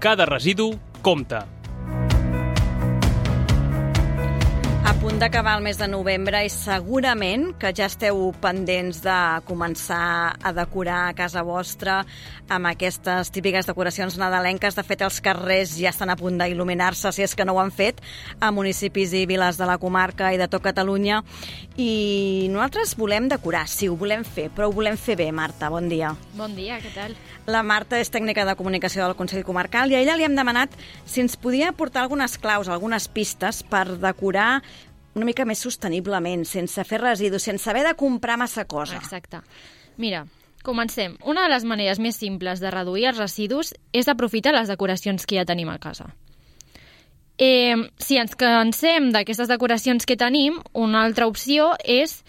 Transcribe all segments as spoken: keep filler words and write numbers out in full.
Cada residu compta. A punt d'acabar el mes de novembre i segurament que ja esteu pendents de començar a decorar casa vostra amb aquestes típiques decoracions nadalenques. De fet, els carrers ja estan a punt d'il·luminar-se, si és que no ho han fet, a municipis i viles de la comarca i de tot Catalunya. I nosaltres volem decorar, sí, ho volem fer, però ho volem fer bé, Marta. Bon dia. Bon dia, què tal? La Marta és tècnica de comunicació del Consell Comarcal i a ella li hem demanat si ens podia aportar algunes claus, algunes pistes per decorar una mica més sosteniblement, sense fer residus, sense haver de comprar massa cosa. Exacte. Mira, comencem. Una de les maneres més simples de reduir els residus és aprofitar les decoracions que ja tenim a casa. Eh, si ens cansem d'aquestes decoracions que tenim, una altra opció és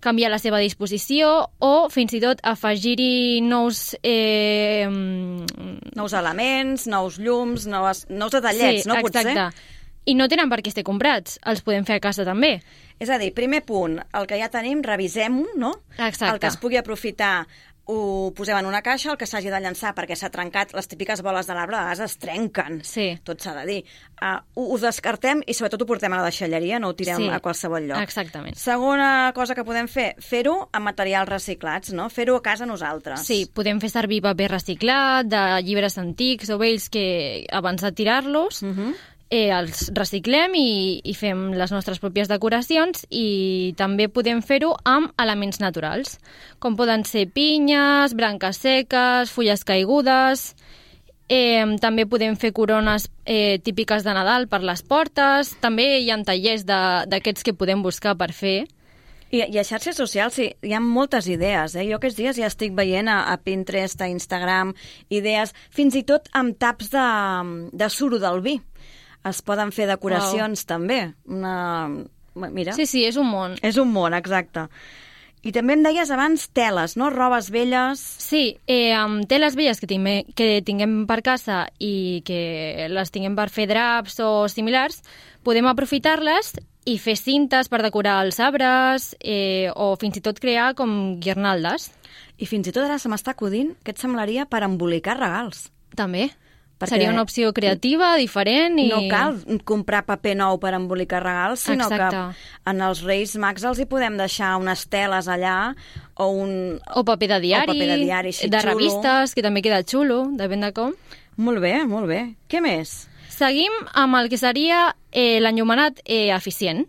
canviar la seva disposició o fins i tot afegir-hi nous... Eh... Nous elements, nous llums, nous, nous detallets, sí, no? Potser? Exacte. I no tenen per què estar comprats, els podem fer a casa també. És a dir, primer punt, el que ja tenim, revisem-ho, no? Exacte. El que es pugui aprofitar ho posem en una caixa, el que s'hagi de llançar perquè s'ha trencat, les típiques boles de l'arbre a vegades es trenquen, sí. Tot s'ha de dir. Uh, ho, ho descartem i sobretot ho portem a la deixalleria, no ho tirem sí. a qualsevol lloc. Exactament. Segona cosa que podem fer, fer-ho amb materials reciclats, no? Fer-ho a casa nosaltres. Sí, podem fer servir paper reciclat, de llibres antics o vells que abans de tirar-los... Uh -huh. Eh, els reciclem i, i fem les nostres pròpies decoracions i també podem fer-ho amb elements naturals, com poden ser pinyes, branques seques, fulles caigudes. Eh, també podem fer corones eh, típiques de Nadal per les portes. També hi ha tallers d'aquests que podem buscar per fer. I, I a xarxes socials sí, hi ha moltes idees. Eh? Jo aquests dies ja estic veient a, a Pinterest, a Instagram, idees, fins i tot amb taps de, de suro del vi. Es poden fer decoracions wow. també. Una... Mira. Sí, sí, és un món. És un món, exacte. I també em deies abans teles, no? Robes velles. Sí, eh, amb teles velles que, tinguem, que tinguem per casa i que les tinguem per fer draps o similars, podem aprofitar-les i fer cintes per decorar els arbres eh, o fins i tot crear com guirnaldes. I fins i tot ara se m'està acudint, què et semblaria per embolicar regals? També. Perquè seria una opció creativa, diferent i... No cal comprar paper nou per embolicar regals, sinó Exacte. que en els Reis Mags els hi podem deixar unes teles allà o un... O paper de diari, o paper de, diari així, de xulo. Revistes, que també queda xulo, depèn de com. Molt bé, molt bé. Què més? Seguim amb el que seria eh, l'enllumenat eh, eficient.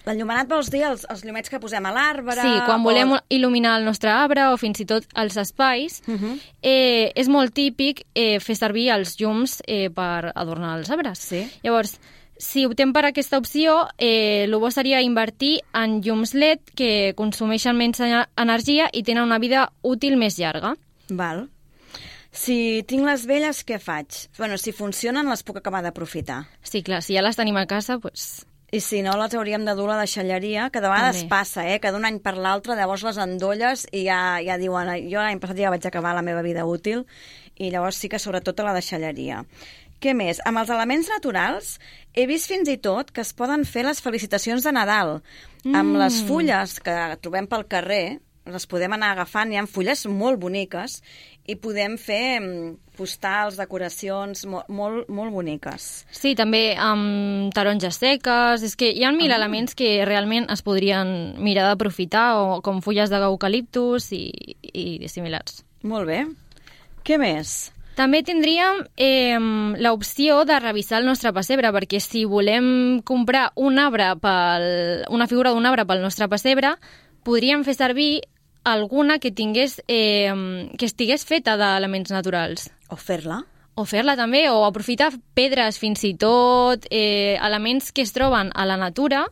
L'enllumenat vols dir els, els llumets que posem a l'arbre? Sí, quan o... volem il·luminar el nostre arbre o fins i tot els espais, uh -huh. eh, és molt típic eh, fer servir els llums eh, per adornar els arbres. Sí. Llavors, si optem per aquesta opció, eh, el bo seria invertir en llums L E D que consumeixen menys energia i tenen una vida útil més llarga. Val. Si tinc les velles, què faig? Bueno, si funcionen, les puc acabar d'aprofitar. Sí, clar, si ja les tenim a casa, doncs... I si no, les hauríem de dur a la deixalleria, que de vegades També. passa, eh? Que d'un any per l'altre, llavors les endolles i ja, ja diuen, jo l'any passat ja vaig acabar la meva vida útil, i llavors sí que sobretot a la deixalleria. Què més? Amb els elements naturals he vist fins i tot que es poden fer les felicitacions de Nadal. Mm. Amb les fulles que trobem pel carrer, les podem anar agafant, hi ha fulles molt boniques, i podem fer postals, decoracions molt, molt, molt boniques. Sí, també amb taronges seques, és que hi ha mil ah. elements que realment es podrien mirar d'aprofitar, o com fulles d'eucaliptus i, i similars. Molt bé. Què més? També tindríem eh, l'opció de revisar el nostre pessebre, perquè si volem comprar un arbre pel, una figura d'un arbre pel nostre pessebre, podríem fer servir alguna que tingués eh, que estigués feta d'elements naturals. O fer-la. O fer-la també, o aprofitar pedres fins i tot, eh, elements que es troben a la natura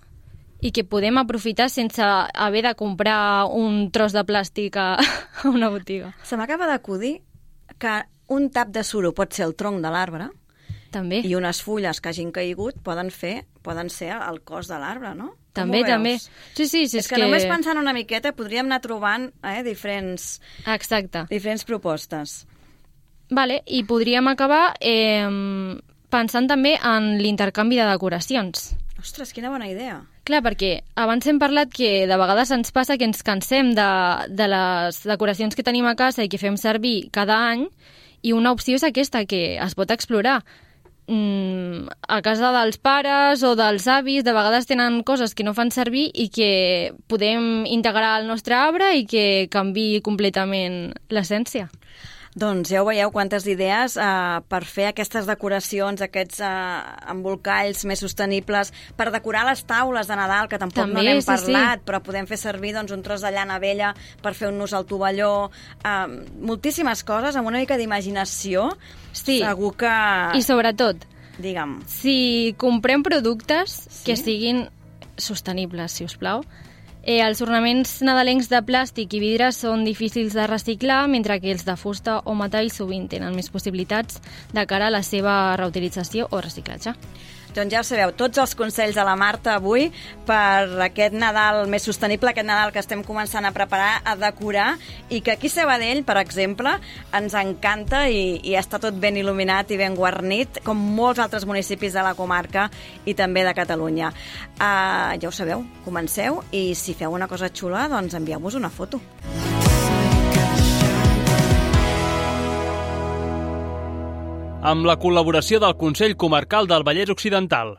i que podem aprofitar sense haver de comprar un tros de plàstic a, a una botiga. Se m'acaba d'acudir que un tap de suro pot ser el tronc de l'arbre. També. I unes fulles que hagin caigut poden fer, poden ser el cos de l'arbre, no? També, també. Sí, sí, sí, és, és que, que només pensant una miqueta podríem anar trobant eh, diferents, Exacte. diferents propostes. Vale, i podríem acabar eh, pensant també en l'intercanvi de decoracions. Ostres, quina bona idea. Clar, perquè abans hem parlat que de vegades ens passa que ens cansem de, de les decoracions que tenim a casa i que fem servir cada any, I una opció és aquesta, que es pot explorar. Mm, a casa dels pares o dels avis de vegades tenen coses que no fan servir i que podem integrar al nostre arbre i que canviï completament l'essència. Doncs ja ho veieu, quantes idees eh, per fer aquestes decoracions, aquests eh, embolcalls més sostenibles, per decorar les taules de Nadal, que tampoc També, no n'hem sí, parlat, sí. però podem fer servir doncs, un tros de llana vella per fer un nus al tovalló, eh, moltíssimes coses, amb una mica d'imaginació, Sí. segur que... I sobretot, Digue'm. si comprem productes Sí? que siguin sostenibles, si us plau, eh, els ornaments nadalencs de plàstic i vidre són difícils de reciclar, mentre que els de fusta o metall sovint tenen més possibilitats de cara a la seva reutilització o reciclatge. Doncs ja ho sabeu, tots els consells de la Marta avui per aquest Nadal més sostenible, aquest Nadal que estem començant a preparar, a decorar, i que aquí a Sabadell, per exemple, ens encanta i, i està tot ben il·luminat i ben guarnit, com molts altres municipis de la comarca i també de Catalunya. Uh, ja ho sabeu, comenceu, i si feu una cosa xula, doncs envieu-vos una foto. Amb la col·laboració del Consell Comarcal del Vallès Occidental.